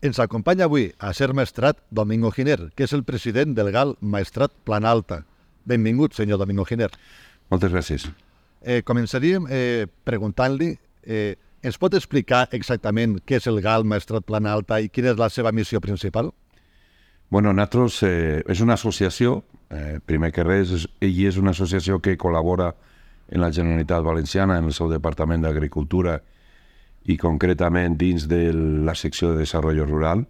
Ens acompanya avui a Ser Maestrat Domingo Giner, que és el president del GAL Maestrat Plana Alta. Benvingut, senyor Domingo Giner. Moltes gràcies. Començaríem preguntant-li, ens pot explicar exactament què és el GAL Maestrat Plana Alta i quina és la seva missió principal? Bueno, nosaltres és una associació, primer que res, ell és una associació que col·labora en la Generalitat Valenciana, en el seu Departament d'Agricultura i concretament dins de la secció de Desarrollo Rural.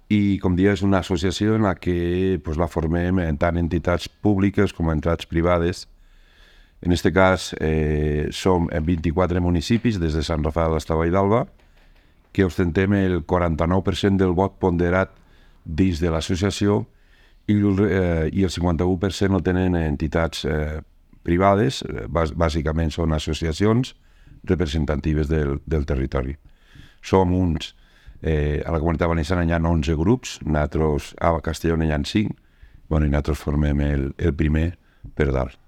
I, com dia, és una associació en la que la formem tant entitats públiques com entitats privades. En aquest cas, som en 24 municipis, des de Sant Rafael fins a Valldarba, que ostentem el 49% del vot ponderat dins de l'associació i el 51% el tenen entitats privades, bàsicament són associacions representatives del territori. Som uns, a la Comunitat Valenciana hi ha 11 grups, nosaltres a Castelló hi ha 5, i nosaltres formem el primer per dalt.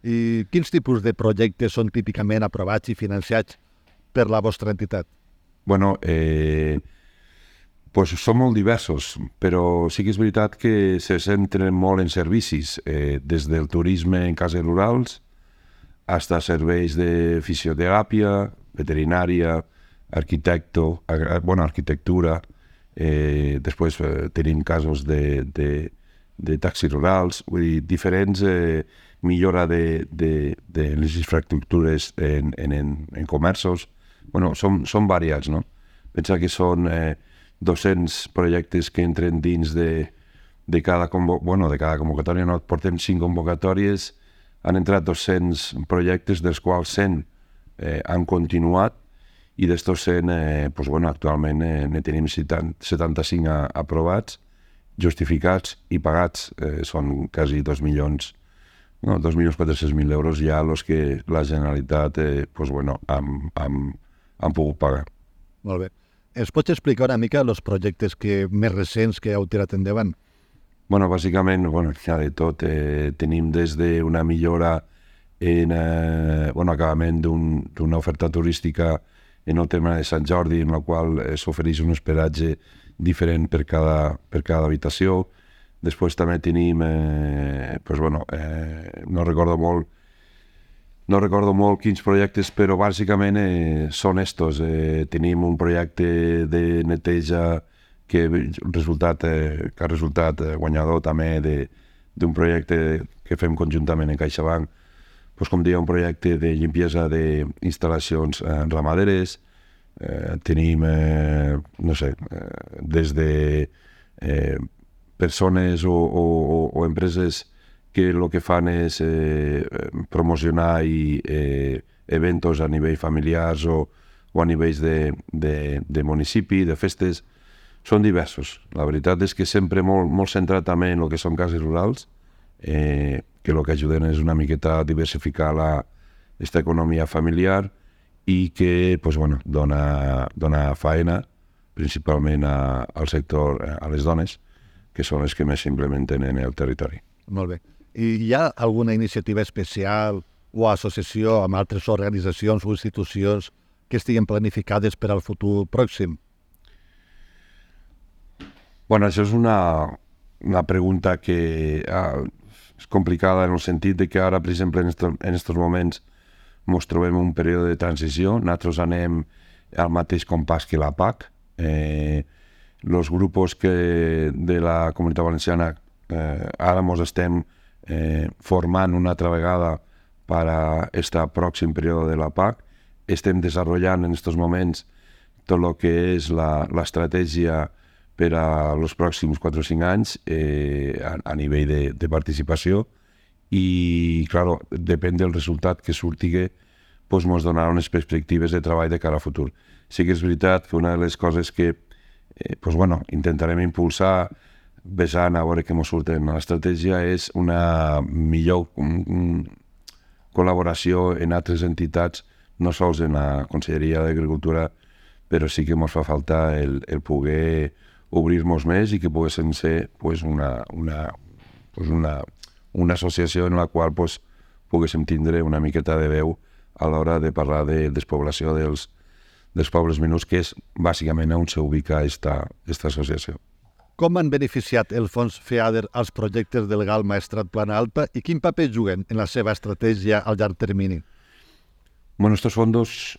I quins tipus de projectes són típicament aprovats i financiats per la vostra entitat? Bueno, són molt diversos, però sí que és veritat que se centren molt en servicis, des del turisme en cases rurals, fins a serveis de fisioteràpia, veterinària, arquitectura, després tenim casos de taxis rurals, vull dir, diferents millora de les infraestructures en comerços. Són variats, no? Pensa que són 200 projectes que entren dins de cada convocatòria, no? Portem 5 convocatòries, han entrat 200 projectes, dels quals 100 han continuat, i d'estos 100, actualment ne tenim 75 aprovats, justificats i pagats. Són quasi 2.400.000 euros ja els que la Generalitat han pogut pagar. Molt bé. Ens pots explicar una mica els projectes més recents que heu tirat endavant? Bàsicament, hi ha de tot. Tenim des d'una millora en acabament d'una oferta turística en el tema de Sant Jordi, en la qual s'ofereix un hospedatge diferent per cada habitació. Després també tenim, no recordo molt quins projectes, però bàsicament són estos. Tenim un projecte de neteja que ha resultat guanyador també d'un projecte que fem conjuntament en CaixaBank, com deia, un projecte de limpiesa d'instal·lacions ramaderes. Tenim, des de persones o empreses que el que fan és promocionar eventos a nivell familiars o a nivells de municipi, de festes. Són diversos. La veritat és que sempre molt centrat també en el que són cases rurals, que el que ajuden és una miqueta a diversificar aquesta economia familiar i que dona faena principalment al sector, a les dones, que són les que més s'implementen en el territori. Molt bé. I hi ha alguna iniciativa especial o associació amb altres organitzacions o institucions que estiguin planificades per al futur pròxim? Això és una pregunta que és complicada en el sentit de que ara, per exemple, en aquests moments ens trobem en un període de transició. Nosaltres anem al mateix compàs que la PAC. Els grups de la Comunitat Valenciana ara ens estem formant una altra vegada per a aquest pròxim període de la PAC. Estem desenvolupant en aquests moments tot el que és l'estratègia per als pròxims 4 o 5 anys a nivell de participació i, clar, depèn del resultat que surti, ens donarà unes perspectives de treball de cara a futur. Sí que és veritat que una de les coses que intentarem impulsar, besant a veure què ens surt en l'estratègia, és una millor col·laboració en altres entitats, no sols en la Conselleria d'Agricultura, però sí que ens fa falta el poder obrir-nos més i que poguéssim ser una associació en la qual poguéssim tindre una miqueta de veu a l'hora de parlar de despoblació dels pobles menuts, que és bàsicament on s'ubica esta associació. Com han beneficiat el fons FEADER als projectes del GAL Maestrat Plana Alta i quin paper juguen en la seva estratègia al llarg termini? Bueno, estos fondos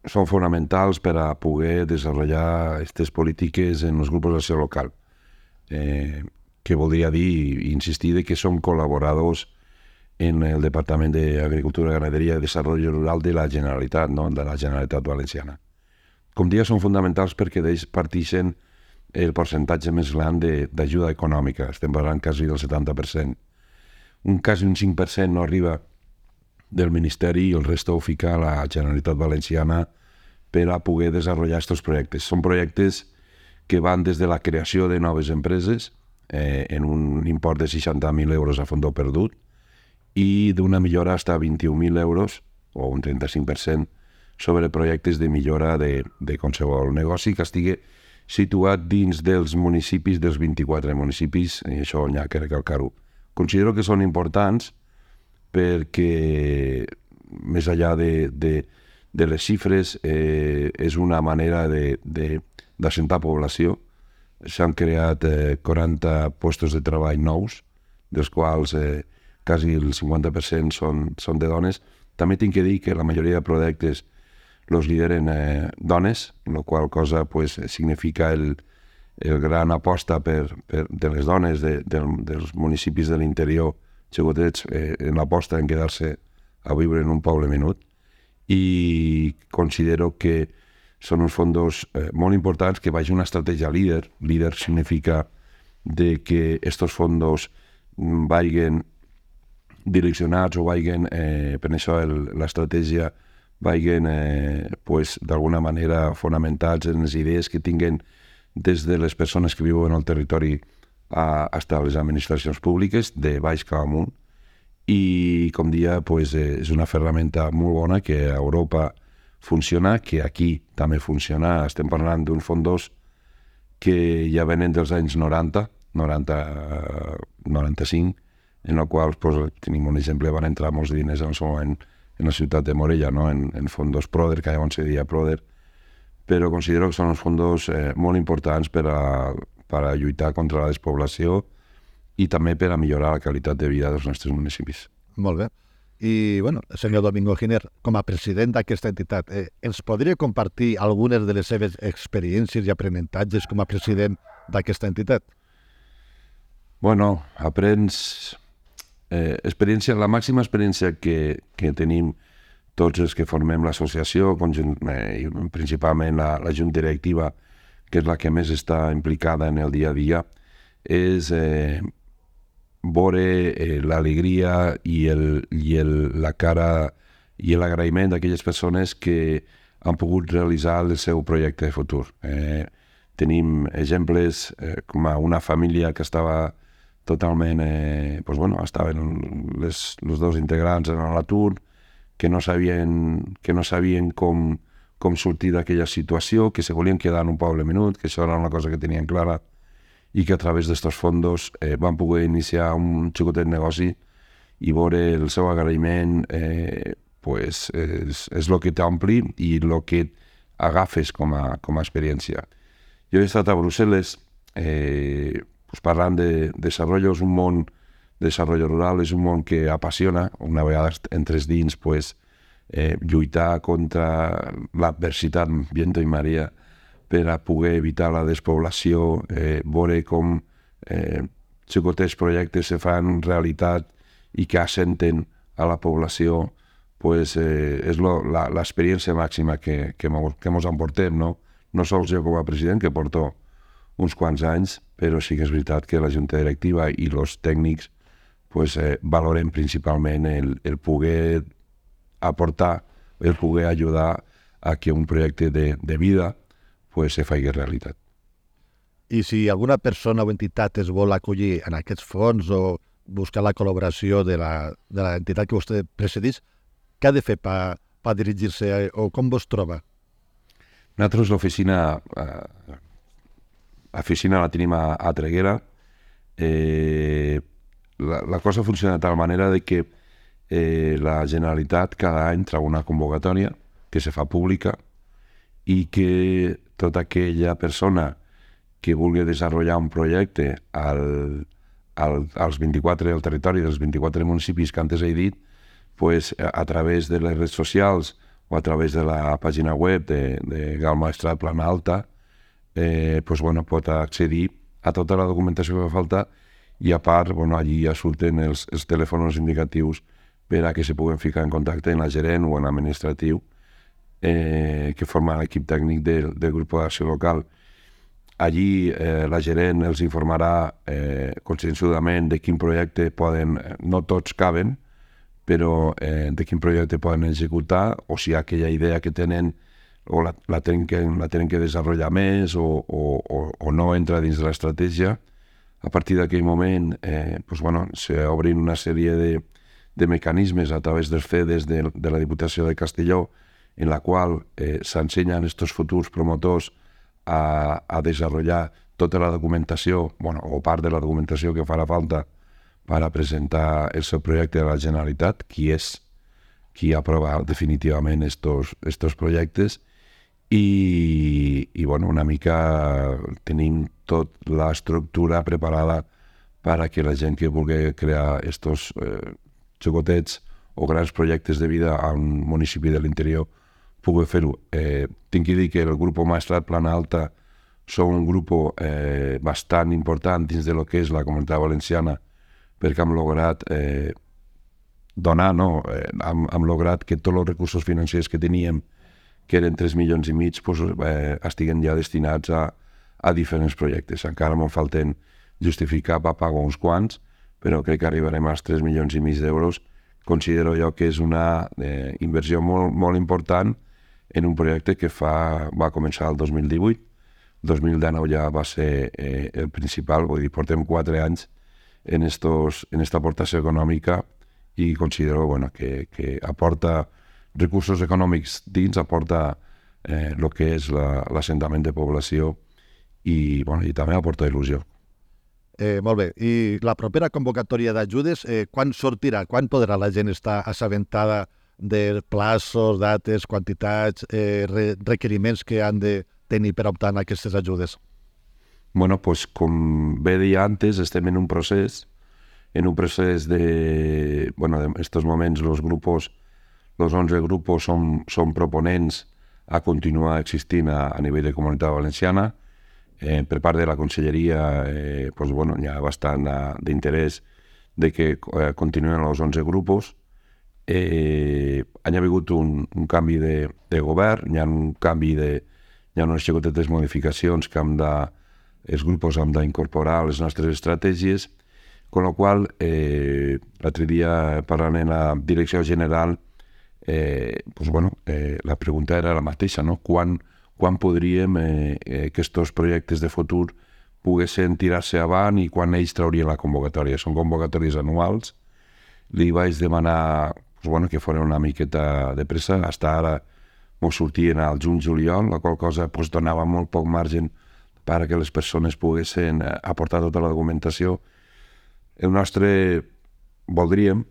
són fonamentals per a poder desenvolupar aquestes polítiques en els grups d'acció local, que voldria dir i insistir que som col·laboradors en el Departament d'Agricultura, Ganaderia i Desarrollo Rural de la Generalitat, no? De la Generalitat Valenciana. Com dia, són fonamentals perquè d'ells partixen el percentatge més gran d'ajuda econòmica. Estem parlant quasi del 70%. Quasi un 5% no arriba del Ministeri i el resto ho fica a la Generalitat Valenciana per a poder desenvolupar aquests projectes. Són projectes que van des de la creació de noves empreses en un import de 60.000 euros a fons perdut i d'una millora fins a 21.000 euros o un 35% sobre projectes de millora de qualsevol negoci que estigui situat dins dels municipis, dels 24 municipis, i això n'hi ha que recalcar-ho. Considero que són importants perquè, més enllà de les xifres, és una manera d'assentar població. S'han creat 40 puestos de treball nous, dels quals quasi el 50% són de dones. També tinc que dir que la majoria de projectes los lideren dones, la qual cosa pues, significa el gran aposta de les dones dels municipis de l'interior xicotets en l'aposta en quedar-se a viure en un poble menut, i considero que són uns fons molt importants que vagi una estratègia líder. Líder significa de que estos fons vagin direccionats o vagin, per això l'estratègia vagin d'alguna manera fonamentats en les idees que tinguen des de les persones que viuen al territori fins a les administracions públiques, de baix cap amunt, i com dia és una ferramenta molt bona que a Europa funciona, que aquí també funciona. Estem parlant d'un fons que ja venen dels anys 95, en el qual tenim un exemple, van entrar molts diners en el seu moment en la ciutat de Morella, no? en fondos Proder, que llavors se deia Proder, però considero que són uns fons molt importants per a lluitar contra la despoblació i també per a millorar la qualitat de vida dels nostres municipis. Molt bé. I, bueno, senyor Domingo Giner, com a president d'aquesta entitat, ens podria compartir algunes de les seves experiències i aprenentatges com a president d'aquesta entitat? Bueno, aprens experiència, la màxima experiència que tenim tots els que formem l'associació, principalment la junta directiva, que és la que més està implicada en el dia a dia, és veure l'alegria i la cara i l'agraïment d'aquelles persones que han pogut realitzar el seu projecte de futur. Tenim exemples com una família que estava totalment, estaven els dos integrants en l'atur, que no sabien com sortir d'aquella situació, que se volien quedar en un poble menut, que això era una cosa que tenien clara, i que a través d'estos fondos van poder iniciar un xicotet negoci i veure el seu agraïment és el que t'ompli i el que agafes com a experiència. Jo he estat a Brussel·les parlant de desarrollo. És un món, desarrollo rural és un món que apassiona. Una vegada entres dins, lluitar contra l'adversitat, viento i marea, per a poder evitar la despoblació, veure com xicotets projectes se fan realitat i que assenten a la població, és l'experiència màxima que mos emportem, no? No sols jo com a president, que porto uns quants anys, però sí que és veritat que la junta directiva i els tècnics valorem principalment el poder aportar, el poder ajudar a que un projecte de vida se faci realitat. I si alguna persona o entitat es vol acollir en aquests fons o buscar la col·laboració de l'entitat que vostè presideix, què ha de fer per dirigir-se o com vos troba? Nosaltres l'oficina la tenim a Traiguera. La cosa funciona de tal manera que la Generalitat cada any treu una convocatòria que se fa pública i que tota aquella persona que vulgui desenvolupar un projecte als 24, al territori dels 24 municipis que antes he dit, pues, a través de les redes socials o a través de la pàgina web de Gal Maestrat Plana Alta, pues, bueno, pot accedir a tota la documentació que fa falta i a part, bueno, allí ja surten els telèfons indicatius per a que se puguen ficar en contacte amb la gerent o en l'administratiu que forma l'equip tècnic del grup d'acció local. Allí la gerent els informarà conscienciadament de quin projecte poden, no tots caben, però de quin projecte poden executar o si aquella idea que tenen o la tenen que desenvolupar més o no entra dins de l'estratègia. A partir d'aquell moment pues, bueno, s'obrin una sèrie de mecanismes a través dels CEDES de la Diputació de Castelló en la qual s'ensenyen aquests futurs promotors a desenvolupar tota la documentació, bueno, o part de la documentació que farà falta per a presentar el seu projecte a la Generalitat, qui aprova definitivament estos projectes, i bueno, una mica tenim tota l'estructura preparada per a que la gent que vulgui crear estos xicotets o grans projectes de vida a un municipi de l'interior pugui fer-ho. Tinc que dir que el grup Maestrat Plana Alta som un grup bastant important dins de lo que és la Comunitat Valenciana, perquè hem lograt donar, no? Hem lograt que tots els recursos financers que teníem, que eren 3,5 milions, pues, estiguen ja destinats a diferents projectes. Encara m'en falten justificar per pagar uns quants, però crec que arribarem als 3,5 milions d'euros. Considero jo que és una inversió molt, molt important en un projecte que va començar el 2018. El 2019 ja va ser el principal, vull dir, portem 4 anys en esta aportació econòmica i considero, bueno, que aporta recursos econòmics dins, aporta el que és l'assentament de població i, bueno, i també aporta il·lusió. Molt bé. I la propera convocatòria d'ajudes, quan sortirà? Quan podrà la gent estar assabentada de plaços, dates, quantitats, requeriments que han de tenir per optar en aquestes ajudes? Bueno, pues com bé deia antes, estem en un procés de, bueno, en estos moments los 11 grupos són proponents a continuar existint a nivell de Comunitat Valenciana. Per part de la Conselleria pues, bueno, hi ha bastant d'interès de que continuen els 11 grupos. Hi ha hagut un canvi de govern, hi ha unes xicotetes modificacions que els grups hem d'incorporar a les nostres estratègies, amb la qual l'altre dia parlant en la direcció general pues, bueno, la pregunta era la mateixa, no? Quan podríem que aquests projectes de futur poguessin tirar-se avant i quan ells traurien la convocatòria. Són convocatòries anuals. Li vaig demanar pues, bueno, que fos una miqueta de pressa. Fins ara ens sortien al juny-juliol, la qual cosa pues, donava molt poc marge perquè les persones poguessin aportar tota la documentació. El nostre voldríem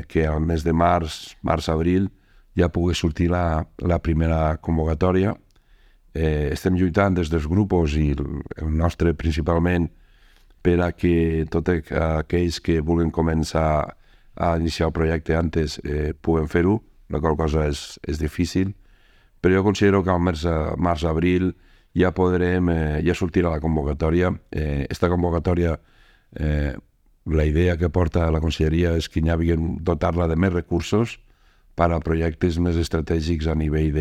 que al mes de març-abril ja pogués sortir la primera convocatòria. Estem lluitant des dels grups i el nostre principalment per a que tots aquells que vulguin començar a iniciar el projecte antes puguen fer-ho, la qual cosa és difícil, però jo considero que al març-abril ja sortirà la convocatòria. Esta convocatòria, la idea que porta la Conselleria és que hi hagi dotar-la de més recursos per a projectes més estratègics a nivell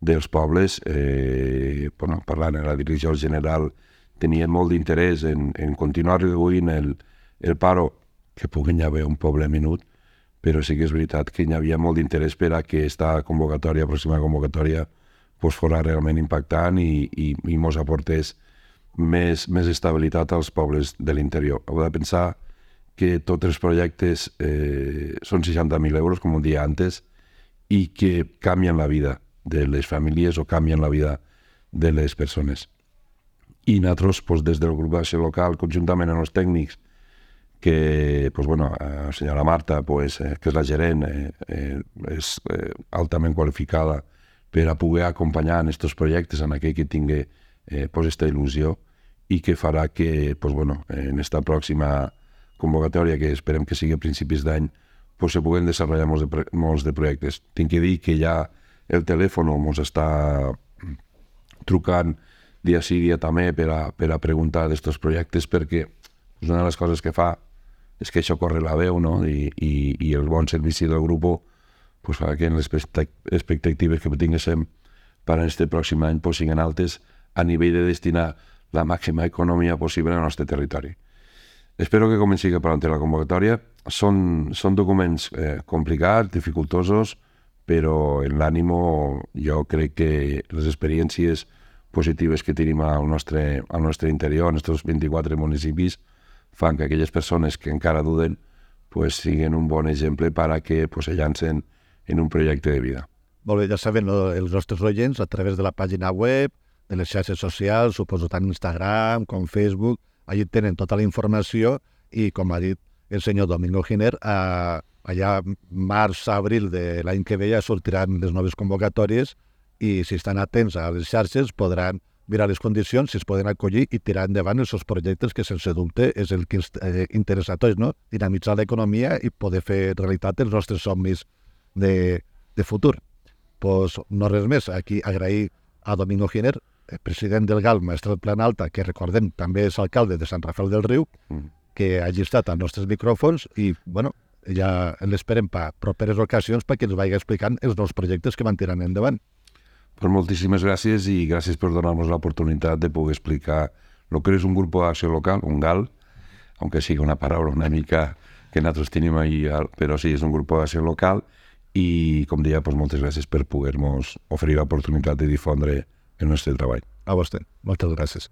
dels pobles. Bueno, parlant en la direcció general, tenien molt d'interès en continuar reduint el paro, que pugui haver un poble minut, però sí que és veritat que hi havia molt d'interès per a que aquesta pròxima convocatòria fos realment impactant i mos aportés més estabilitat als pobles de l'interior. Heu de pensar que tots els projectes són 60.000 euros, com un dia antes, i que canvien la vida de les famílies o canvien la vida de les persones. I nosaltres, des del grup d'acció local, conjuntament amb els tècnics, que, la senyora Marta, que és la gerent, és altament qualificada per a poder acompanyar en aquests projectes en aquell que tingui aquesta il·lusió i que farà que en esta pròxima convocatòria, que esperem que sigui a principis d'any, se puguen desenvolupar molts de projectes. Tinc que dir que ja el telèfon ens està trucant dia sí, dia també per a preguntar d'aquests projectes, perquè una de les coses que fa és que això corre la veu, no? I el bon servici del grup fa que les expectatives que tinguéssim per a aquest pròxim any siguin altes a nivell de destinar la màxima economia possible al nostre territori. Espero que comenci per la convocatòria. Són documents complicats, dificultosos, però en l'ànimo jo crec que les experiències positives que tenim al nostre interior, en aquests 24 municipis, fan que aquelles persones que encara duden siguin un bon exemple per a que se llancen en un projecte de vida. Molt bé, ja saben els nostres oients a través de la pàgina web, de les xarxes socials, suposo tant Instagram com Facebook, allí tenen tota la informació i, com ha dit el senyor Domingo Giner, allà març-abril de l'any que ve ja sortiran les noves convocatòries i si estan atents a les xarxes podran mirar les condicions, si es poden acollir i tirar endavant els seus projectes, que sense dubte és el que ens interessa a tots, no? Dinamitzar l'economia i poder fer realitat els nostres somnis de futur. Pues no res més, aquí agrair a Domingo Giner, president del GAL, Maestrat Planalta, que recordem també és alcalde de Sant Rafel del Riu, que hagi estat als nostres micròfons i, ja l'esperem per properes ocasions perquè ens vagi explicant els nous projectes que van tirant endavant. Pues moltíssimes gràcies i gràcies per donar-nos l'oportunitat de poder explicar el que és un grup d'acció local, un GAL, aunque sigui una paraula una mica que nosaltres tenim ahí, però sí, és un grup d'acció local i, com deia, moltes gràcies per poder-nos oferir l'oportunitat de difondre el nostre treball. A vostè. Moltes gràcies.